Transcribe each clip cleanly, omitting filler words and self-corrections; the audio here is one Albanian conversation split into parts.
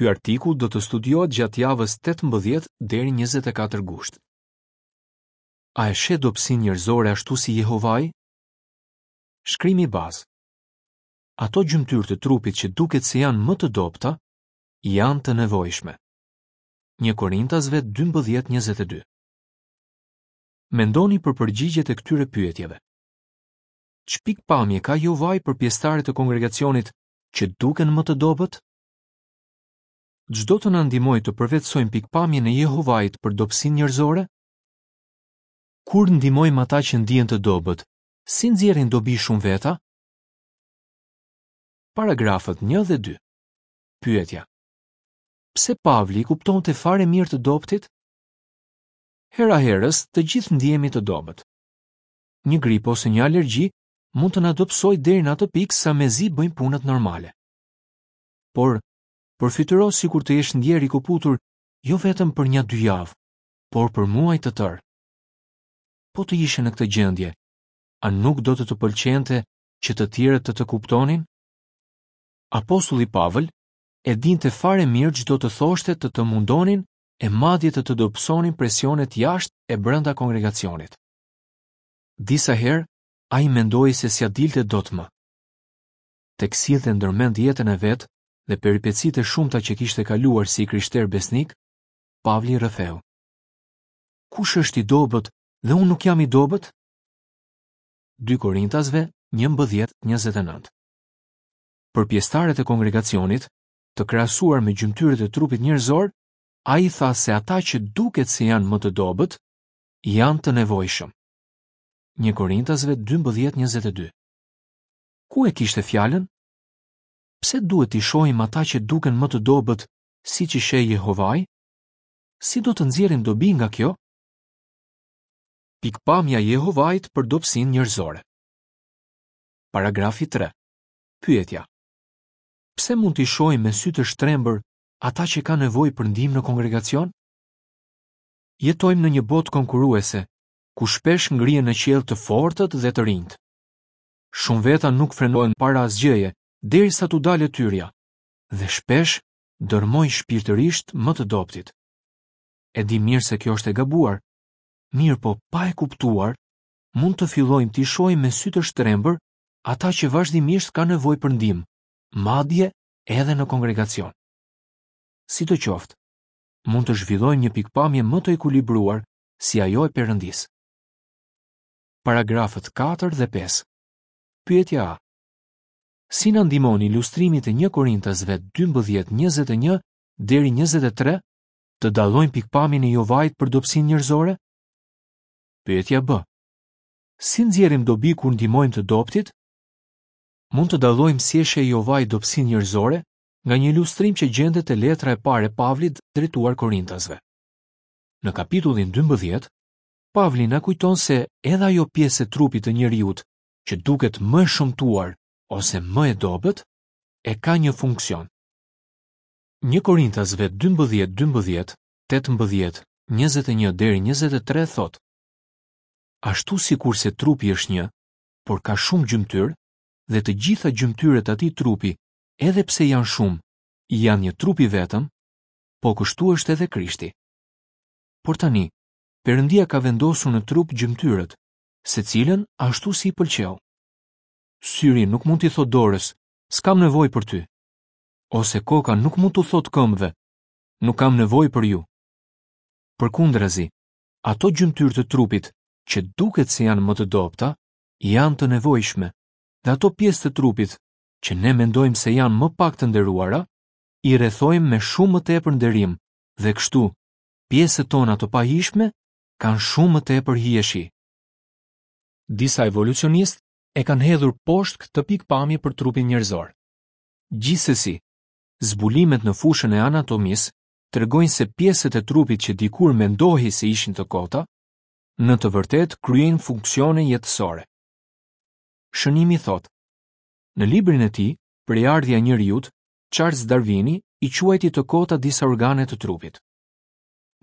Ky artikull do të studiohet gjatë javës 18 deri 24 gusht. A e sheh dobësinë njerëzore ashtu si Jehovai? Shkrimi bazë. Ato gjymtyrë të trupit që duket se janë më të dobëta, janë të nevojshme. 1 Korintasve 12:22. Mendoni për përgjigjet e këtyre pyetjeve. Ç'pikëpamje ka Jehovai për pjesëtarët e kongregacionit që duken më të dobët? Ç'do të na ndihmojë të përvetësojmë pikëpamjen e Jehovait për dobësinë njerëzore? Kur ndihmojmë ata që ndihen të dobët, si nxjerrin dobi shumë veta? Paragrafët 1 dhe 2. Pyetja. Pse Pavli i kuptonte fare mirë të dobëtit? Hera-herës, të gjithë ndihemi të dobët. Një grip ose një alergji mund të na dobësojë deri në atë pikë sa mezi bëjmë punët normale. Por, përfytyro sikur të jesh ndjerë i këputur jo vetëm për nja dy javë, por për muaj të tërë. Po të ishe në këtë gjendje, a nuk do të të pëlqente që të tjerët të të kuptonin? Apostulli Pavël e dinte fare mirë ç'do të thoshte të të mundonin e madje të të dobësonin presionet jashtë e brenda kongregacionit. Disa herë ai mendoi se s'ia dilte dot më. Tek sillte ndërmend jetën e vet dhe peripecitë e shumta që kishte kaluar si i krishterë besnik, Pavli rrëfeu. Kush është i dobët dhe unë nuk jam i dobët? 2 Korintasve 11:29. Për pjesëtarët e kongregacionit, të krahasuar me gjymtyrët e trupit njerëzor, ai tha se ata që duket se janë më të dobët, janë të nevojshëm. 1 Korintasve 12:22. Ku e kishte fjalën? Pse duhet t'i shohim ata që duken më të dobët siç i sheh Jehovai? Si do të nxjerrim dobi nga kjo? Pikëpamja e Jehovait për dobësinë njerëzore. Paragrafi 3. Pyetja. Pse mund t'i shohim me sy të shtrembër ata që kanë nevojë për ndihmë në kongregacion? Jetojmë në një botë konkurruese, ku shpesh ngrihen në qiell të fortët dhe të rinjtë. Shumë veta nuk frenohen para asgjëje derisa t'u dalë e tyrja dhe shpesh dërrmojnë shpirtërisht më të dobëtit. E dimë mirë se kjo është e gabuar, mirëpo pa e kuptuar, mund të fillojmë t'i shohim me sy të shtrembër ata që vazhdimisht kanë nevojë për ndihmë, madje edhe në kongregacion. Sidoqoftë, mund të zhvillojmë një pikëpamje më të ekuilibruar si ajo e Perëndisë. Paragrafët 4 dhe 5. Pyetja A. Si na ndihmon ilustrimi te 1 Korintasve 12, 21 deri 23 të dallojmë pikëpamjen e Jehovait për dobësinë njerëzore? Pyetja B. Si nxjerrim dobi kur ndihmojmë të dobëtit? Mund të dallojmë si e sheh Jehovai dobësinë njerëzore nga një ilustrim që gjendet te letra e parë e Pavlit drejtuar Korintasve. Në kapitullin 12, Pavli na kujton se edhe ajo pjesë e trupit të njeriut që duket më e shëmtuar ose më e dobët, e ka një funksion. 1 Korintasve 12, 12, 18, 21 deri 23 thotë: Ashtu sikurse trupi është një, por ka shumë gjymtyrë, dhe të gjitha gjymtyrët e atij trupi, edhe pse janë shumë, janë një trup i vetëm, po kështu është edhe Krishti. Por tani, Perëndia ka vendosur në trup gjymtyrët, secilën ashtu si i pëlqeu. Syri nuk mund t'i thotë dorës, s'kam nevojë për ty. Ose koka nuk mund t'u thotë këmbëve, nuk kam nevojë për ju. Përkundrazi, ato gjymtyrë të trupit që duket se janë më të dobëta, janë të nevojshme, dhe ato pjesë të trupit që ne mendojmë se janë më pak të nderuara, i rrethojmë me shumë më tepër nderim dhe kështu pjesët tona të pahijshme kanë shumë më tepër hijeshi. Disa evolucionistë e kanë hedhur poshtë këtë pikëpamje për trupin njerëzor. Gjithsesi, zbulimet në fushën e anatomisë tregojnë se pjesët e trupit që dikur mendohej se ishin të kota, në të vërtetë kryejnë funksione jetësore. Shënimi thotë, në librin e tij, Prejardhja e njeriut, Charles Darwini i quajti të kota disa organe të trupit.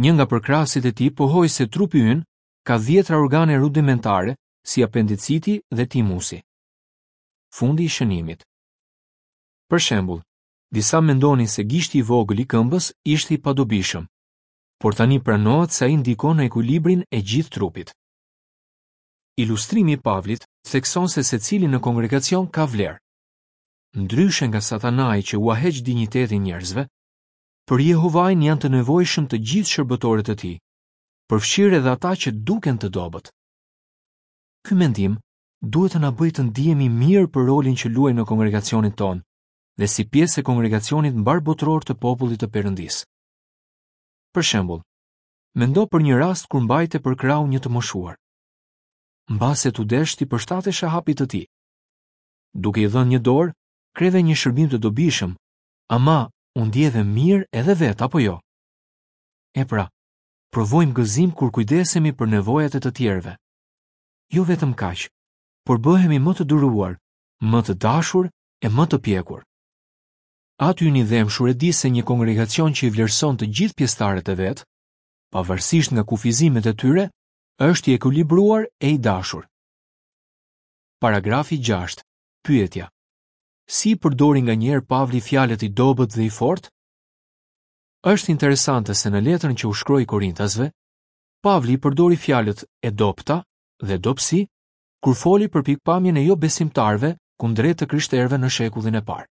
Një nga përkrahësit e tij pohoi se trupi ynë ka dhjetra organe rudimentare si apendiciti dhe timusi. Fundi i shënimit. Për shembull, Disa mendonin se gishti i vogël i këmbës ishte i padobishëm, por tani pranohet se ai ndikon në ekuilibrin e gjithë trupit. Ilustrimi i Pavlit thekson se secili në kongregacion ka vlerë. Ndryshe nga Satanai që ua heq dinjitetin njerëzve, për Jehovain janë të nevojshëm të gjithë shërbëtorët e tij, përfshirë edhe ata që duken të dobët. Ky mendim duhet të na bëjë të ndihemi mirë për rolin që luajmë në kongregacionin tonë dhe si pjesë e kongregacionit mbarëbotëror të popullit të Perëndisë. Për shembull, mendo për një rast kur mbajte për krahu një të moshuar. Mbase t'u desh t'i përshtateshe hapit të tij. Duke i dhënë një dorë, kreve një shërbim të dobishëm, ama u ndjeve mirë edhe vetë, apo jo? E pra, provojmë gëzim kur kujdesemi për nevojat e të tjerëve. Jo vetëm kaq, por bëhemi më të duruar, më të dashur e më të pjekur. Ati ynë i dhembshur e di se një kongregacion që i vlerëson të gjithë pjesëtarët e vet, pavarësisht nga kufizimet e tyre, është i ekuilibruar e i dashur. Paragrafi 6. Pyetja. Si i përdori nganjëherë Pavli fjalët i dobët dhe i fortë? Është interesante se në letrën që u shkroi Korintasve, Pavli i përdori fjalët e dobëta dhe dobësi kur foli për pikëpamjen e jobesimtarëve kundrejt të krishterëve në shekullin e parë.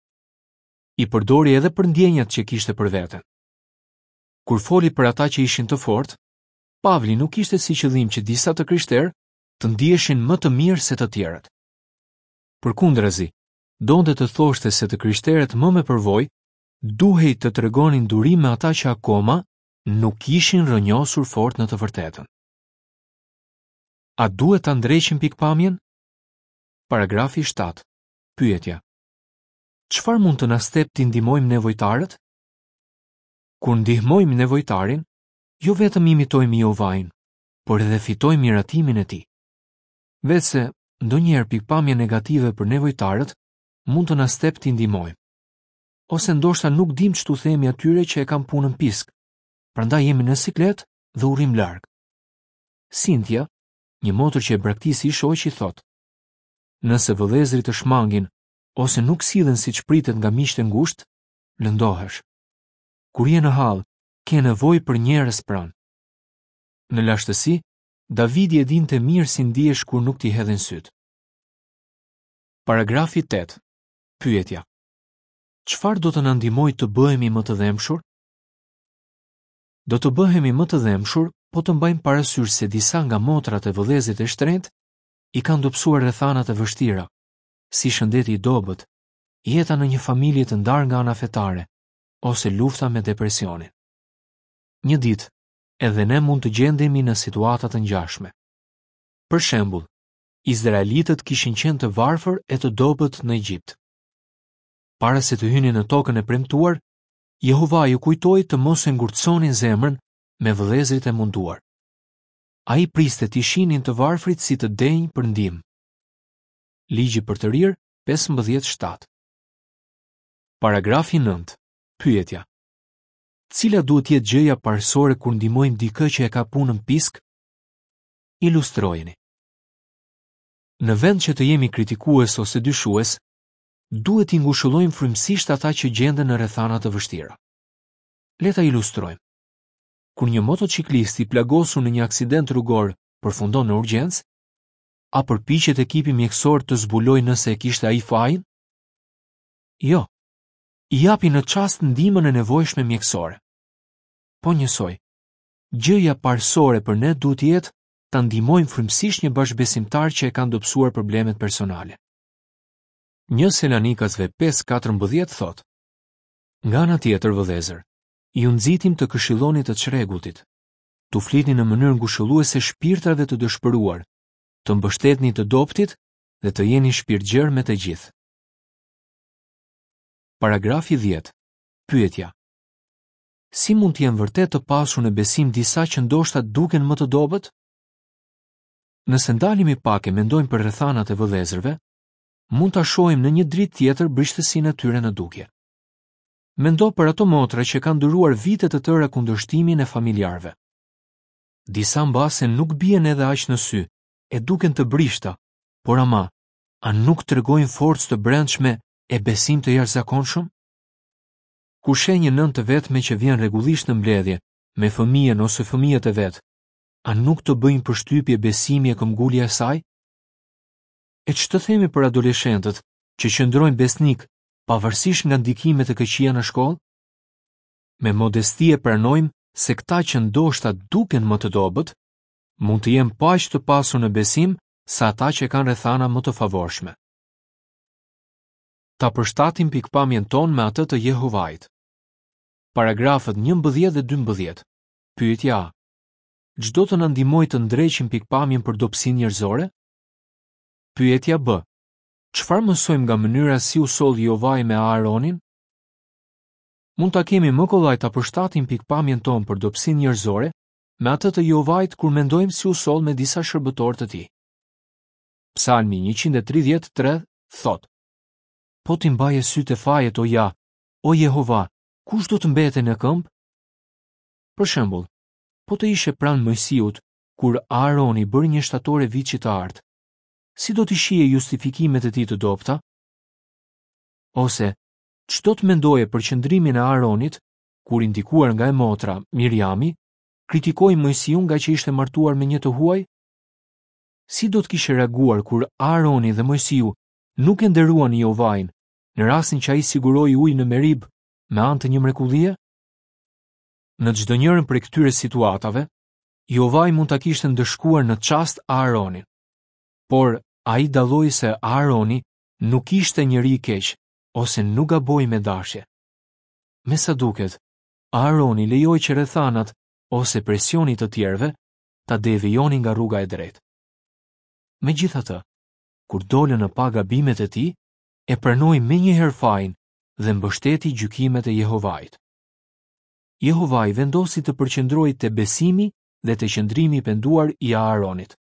I përdori edhe për ndjenjat që kishte për veten. Kur foli për ata që ishin të fortë, Pavli nuk kishte si qëllim që disa të krishterë të ndiheshin më të mirë se të tjerët. Përkundrazi, donte të thoshte se të krishterët më me përvojë duhej të tregonin durim me ata që akoma nuk ishin rrënjosur fort në të vërtetën. A duhet ta ndreqim pikëpamjen? Paragrafi 7. Pyetja. Çfarë mund të na stepë t'i ndihmojmë nevojtarët? Kur ndihmojmë nevojtarin, jo vetëm imitojmë Jehovain, por edhe fitojmë miratimin e tij. Veçse, ndonjëherë pikëpamja negative për nevojtarët mund të na stepë t'i ndihmojmë. Ose ndoshta nuk dimë ç't'u themi atyre që e kanë punën pisk, prandaj jemi në siklet dhe u rrimë larg. Cynthia, një motër që e braktisi i shoqi, thotë: Nëse vëllezërit të shmangin ose nuk sillen siç pritet nga miqtë e ngushtë, lëndohesh. Kur je në hall, ke nevojë për njerëz pranë. Në lashtësi, Davidi e dinte mirë si ndihesh kur nuk t'i hedhin sytë. Paragrafi 8. Pyetja. Çfarë do të na ndihmojë të bëhemi më të dhembshur? Do të bëhemi më të dhembshur po të mbajmë parasysh se disa nga motrat e vëllezërit e shtrenjtë i kanë dobësuar rrethanat e vështira, si shëndeti i dobët, jeta në një familje të ndarë nga ana fetare ose lufta me depresionin. Një ditë, edhe ne mund të gjendemi në situata të ngjashme. Për shembull, izraelitët kishin qenë të varfër e të dobët në Egjipt. Para se të hynin në tokën e premtuar, Jehovai u kujtoi të mos e ngurtësonin zemrën me vëllezërit e munduar. Ai priste t'i shihnin të varfrit si të denjë për ndihmë. Ligji përtërirë 15.7 Paragrafi 9. Pyetja. Cila duhet të jetë gjëja parësore kur ndihmojmë dikë që e ka punën pisk? Ilustrojeni. Në vend që të jemi kritikues ose dyshues, duhet t'i ngushëllojmë frymësisht ata që gjenden në rrethana të vështira. Le ta ilustrojmë. Kur një motoçiklist i plagosur në një aksident rrugor përfundon në urgjencë, a përpiqet ekipi mjekësor të zbulojë nëse e kishte ai fajin? Jo. I japin në çast ndihmën e nevojshme mjekësore. Po njësoj, gjëja parësore për ne duhet të jetë ta ndihmojmë frymësisht një bashkëbesimtar që e kanë dobësuar problemet personale. Një Selanikasve 5:14 thotë: Nga ana tjetër, vëllezër, ju nxitim të këshilloni të çrregulltit, t'u flitni në mënyrë ngushëlluese shpirtrave të dëshpëruar, të mbështetni të dobëtit dhe të jeni shpirtgjerë me të gjithë. Paragrafi 10. Pyetja. Si mund të jenë vërtet të pasur në besim disa që ndoshta duken më të dobët? Nëse ndalemi pak e mendojmë për rrethanat e vëllezërve, mund ta shohim në një dritë tjetër brishtësinë e tyre në dukje. Mendo për ato motra që kanë duruar vite të tëra kundërshtimin e familjarëve. Disa mbase nuk bien edhe aq në sy, e duken të brishta, por ama, a nuk tregojnë forcë të brendshme e besim të jashtëzakonshëm? Kur sheh një nënë të vetme që vjen rregullisht në mbledhje me fëmijën ose fëmijët e vet, a nuk të bëjnë përshtypje besimi e këmbgulja e saj? E ç'të themi për adoleshentët që qëndrojnë besnikë pavarësisht nga ndikimet e këqija në shkollë? Me modesti e pranojmë se këta që ndoshta duken më të dobët, mund të jenë po aq të pasur në besim sa ata që kanë rrethana më të favorshme. Ta përshtatim pikëpamjen tonë me atë të Jehovait. Paragrafët 11 dhe 12. Pyetja A. Ç'do të na ndihmojë të ndreqim pikëpamjen për dobësinë njerëzore? Pyetja B. Çfarë mësojmë nga mënyra si u soll Jehovai me Aaronin? Mund ta kemi më kollaj ta përshtatim pikëpamjen tonë për dobësinë njerëzore me atë të Jehovait kur mendojmë si u soll me disa shërbëtorë të tij. Psalmi 133 thotë: Po t'i mbaje sytë te fajet o Ja, o Jehova, kush do të mbetej në këmbë? Për shembull, po të ishe pranë Moisiut kur Aaroni bëri një shtatore viçi të artë, si do t'i shihje justifikimet e tij të dobëta? Ose, ç'do të mendoje për qëndrimin e Aaronit kur i ndikuar nga e motra, Miriami, kritikoi Moisiun ngaqë ishte martuar me një të huaj? Si do të kishe reaguar kur Aaroni dhe Moisiu nuk e nderuan Jehovain në rastin që ai siguroi ujë në Meribë me anë të një mrekullie? Në çdonjërën prej këtyre situatave, Jehovai mund ta kishte ndëshkuar në çast Aaronin. Por ai dalloi se Aaroni nuk ishte njeri i keq ose nuk gaboi me dashje. Me sa duket, Aaroni lejoi që rrethanat ose presioni i të tjerëve ta devijonin nga rruga e drejtë. Megjithatë, kur dolën në pah gabimet e tij, e pranoi menjëherë fajin dhe mbështeti gjykimet e Jehovait. Jehovai vendosi të përqendrohej te besimi dhe te qëndrimi i penduar i Aaronit.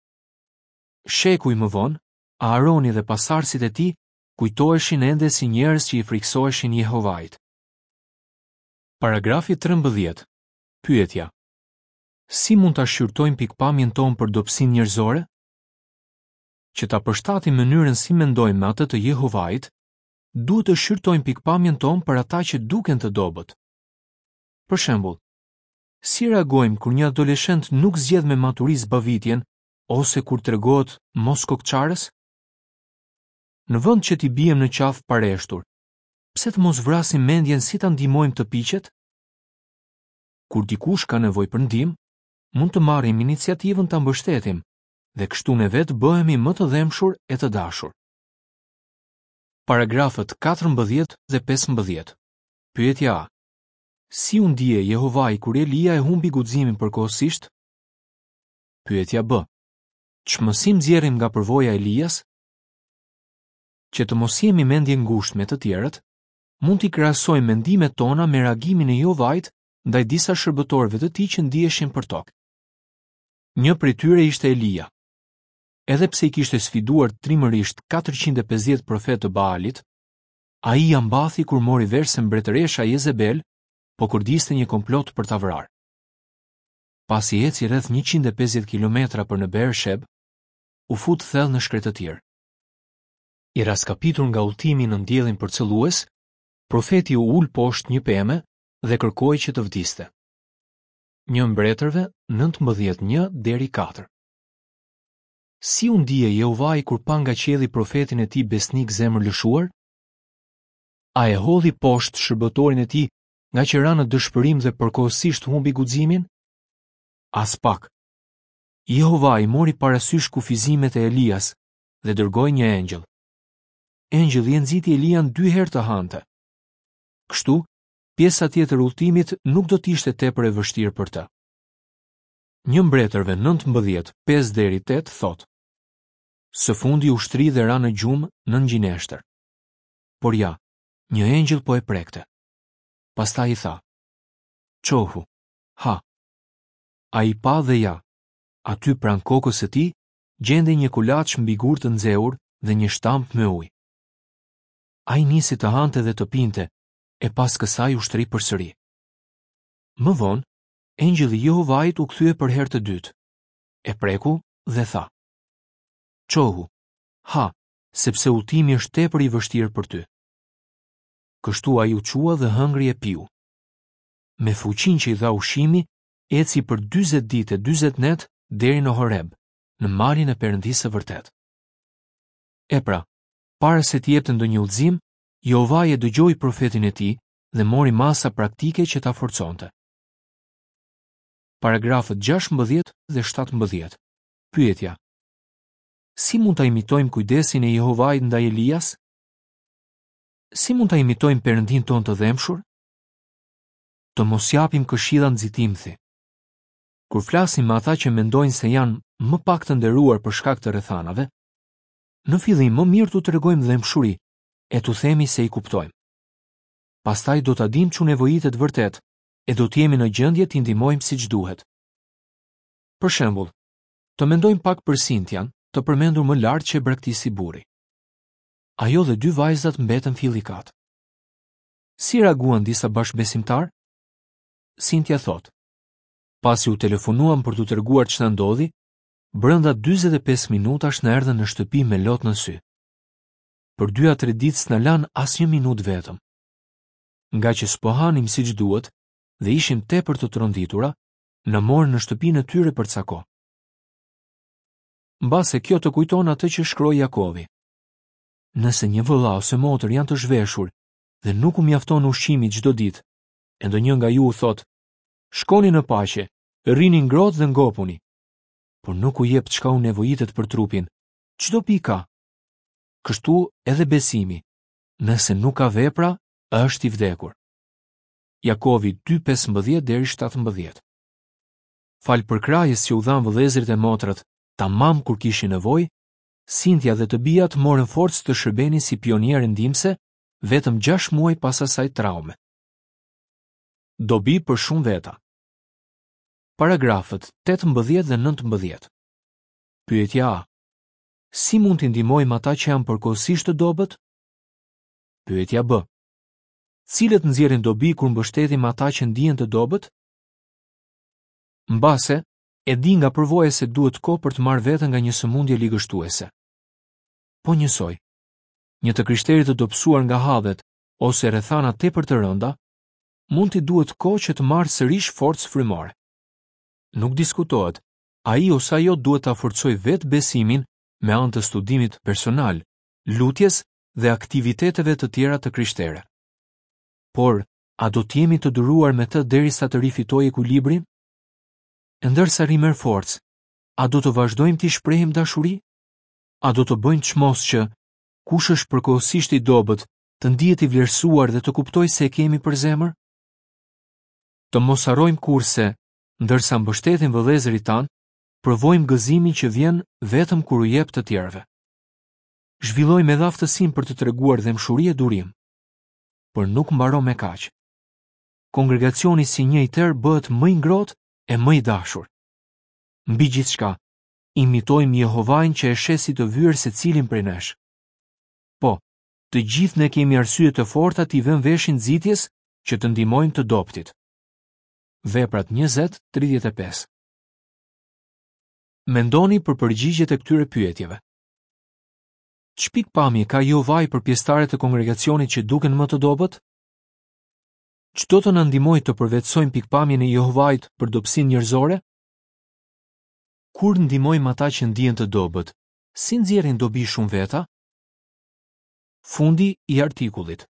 Shekuj më vonë, Aaroni dhe pasardhësit e tij kujtoheshin ende si njerëz që i frikësoheshin Jehovait. Paragrafi 13. Pyetja: Si mund ta shqyrtojmë pikëpamjen tonë për dobësinë njerëzore? Që ta përshtatim mënyrën si mendojmë me atë të Jehovait, duhet të shqyrtojmë pikëpamjen tonë për ata që duken të dobët. Për shembull, si reagojmë kur një adoleshent nuk zgjedh me maturi zbavitjen ose kur tregohet moskokëçarës? Në vend që t'i biem në qafë pareshtur, pse të mos vrasim mendjen si ta ndihmojmë të piqet? Kur dikush ka nevojë për ndihmë, mund të marrim iniciativën ta mbështetim dhe kështu ne vetë bëhemi më të dhembshur e të dashur. Paragrafët 14 dhe 15. Pyetja A. Si u ndie Jehovai kur Elia e humbi guximin përkohësisht? Pyetja B. Ç'mësim nxjerrim nga përvoja e Elias? Që të mos jemi mendjengushtë me të tjerët, mund t'i krahasojmë mendimet tona me reagimin e Jehovait ndaj disa shërbëtorëve të tij që ndiheshin përtokë. Një prej tyre ishte Elia. Edhe pse i kishte sfiduar trimërisht 450 profetë të Baalit, ai ia mbathi kur mori vesh se mbretëresha Jezebel po kërdiste një komplot për ta vrarë. Pasi eci rreth 150 kilometra për në Beersheb, u fut thellë në shkretëtirë. I rraskapitur nga udhëtimi nën diellin përcëllues, profeti u ul poshtë një peme dhe kërkoi që të vdiste. Një Mbretërve 19 1 deri 4. Si u ndie Jehovai kur pa nga qielli profetin e tij besnik zemërlëshuar? A e hodhi poshtë shërbëtorin e tij ngaqë ra në dëshpërim dhe përkohësisht humbi guximin? Aspak. Jehovai mori parasysh kufizimet e Elias dhe dërgoi një engjëll. Engjëlli e nxiti Elian dy herë të hante. Kështu, pjesa tjetër e udhëtimit nuk do të ishte tepër e vështirë për të. Një Mbretërve 19, 5 deri 8 thotë: Së fundi u shtri dhe ra në gjumë nën gjineshtër. Por ja, një engjëll po e prekte. Pastaj i tha: Çohu, ha. Ai pa dhe ja, aty pranë kokës së tij gjendej një kulaç mbi gurë të nxehur dhe një shtampë me ujë. Ai nisi të hante dhe të pinte, e pas kësaj u shtri përsëri. Më vonë, engjëlli i Jehovait u kthye për herë të dytë. E preku dhe tha: Çohu, ha, sepse udhëtimi është tepër i vështirë për ty. Kështu ai u çua dhe hëngri e piu. Me fuqinë që i dha ushqimi, eci për 40 ditë e 40 net deri në Horeb, në malin e Perëndisë së vërtetë. E pra, para se t'i jepte ndonjë udhëzim, Jehovai e dëgjoi profetin e tij dhe mori masa praktike që ta forconte. Paragrafët 16 dhe 17. Pyetja: Si mund ta imitojmë kujdesin e Jehovait ndaj Elias? Si mund ta imitojmë Perëndinë tonë të dhembshur? Të mos japim këshilla nxitimthi. Kur flasim me ata që mendojnë se janë më pak të nderuar për shkak të rrethanave, në fillim më mirë t'u tregojmë dhembshuri e t'u themi se i kuptojmë. Pastaj do ta dimë ç'u nevojitet vërtet e do të jemi në gjendje t'i ndihmojmë siç duhet. Për shembull, të mendojmë pak për Sintian, të përmendur më lart që e braktisi burri. Ajo dhe dy vajzat mbetën fillikat. Si reaguan disa bashkëbesimtarë? Sintia thotë: Pasi u telefonuam për t'u treguar ç'na ndodhi, brenda 45 minutash na erdhën në shtëpi me lot në sy. Për dy a tre ditë s'na lanë asnjë minutë vetëm. Ngaqë s'po hanim siç duhet dhe ishim tepër të tronditura, na morën në shtëpinë e tyre për ca kohë. Mbase kjo të kujton atë që shkroi Jakovi. Nëse një vëlla ose motër janë të zhveshur dhe nuk u mjafton ushqimi çdo ditë, e ndonjë nga ju u thotë, shkoni në paqe, rrini ngrohtë dhe ngopuni, por nuk u jep çka u nevojitet për trupin, ç'dobi ka? Kështu edhe besimi, nëse nuk ka vepra, është i vdekur. Jakovi 2:15 deri 17. Falë përkrahjes që u dhanë vëllezërit e motrat, tamam kur kishin nevojë, Sintia dhe të bijat morën forcë të shërbenin si pioniere ndihmëse vetëm 6 muaj pas asaj traume. Dobi për shumë veta. Paragrafët 18 dhe 19. Pyetja A. Si mund t'i ndihmojmë ata që janë përkohësisht të dobët? Pyetja B. Cilët nxjerrin dobi kur mbështetim ata që ndihen të dobët? Mbase, e di nga përvoja se duhet kohë për të marrë veten nga një sëmundje ligështuese. Po njësoj, një të krishteri të dobësuar nga hallet ose rrethana tepër të rënda, mund t'i duhet kohë që të marrë sërish forcë frymore. Nuk diskutohet, ai ose ajo duhet ta forcojë vetë besimin me anë të studimit personal, lutjes dhe aktiviteteve të tjera të krishtere. Por, a do të jemi të duruar me të derisa të rifitojë ekuilibrin? E ndërsa rimerr forcë, a do të vazhdojmë t'i shprehim dashuri? A do të bëjmë çmos që, kush është përkohësisht i dobët, të ndihet i vlerësuar dhe të kuptojë se e kemi për zemër? Të mos harrojmë kurrë se, ndërsa mbështetim vëllezërit tanë, provojmë gëzimin që vjen vetëm kur u jep të tjerëve. Zhvillojmë edhe aftësinë për të treguar dhembshuri e durim. Por nuk mbaron me kaq. Kongregacioni si një i tërë bëhet më i ngrohtë e më i dashur. Mbi gjithçka, imitojmë Jehovain që e sheh si të vyer secilin prej nesh. Po, të gjithë ne kemi arsye të forta t'i vëmë veshin nxitjes që të ndihmojmë të dobëtit. Veprat 20:35 Mendoni për përgjigjet e këtyre pyetjeve. Ç'pikëpamje ka Jehovai për pjesëtarët e kongregacionit që duken më të dobët? Ç'do të na ndihmojë të përvetësojmë pikëpamjen e Jehovait për dobësinë njerëzore? Kur ndihmojmë ata që ndihen të dobët, si nxjerrin dobi shumë veta? Fundi i artikullit.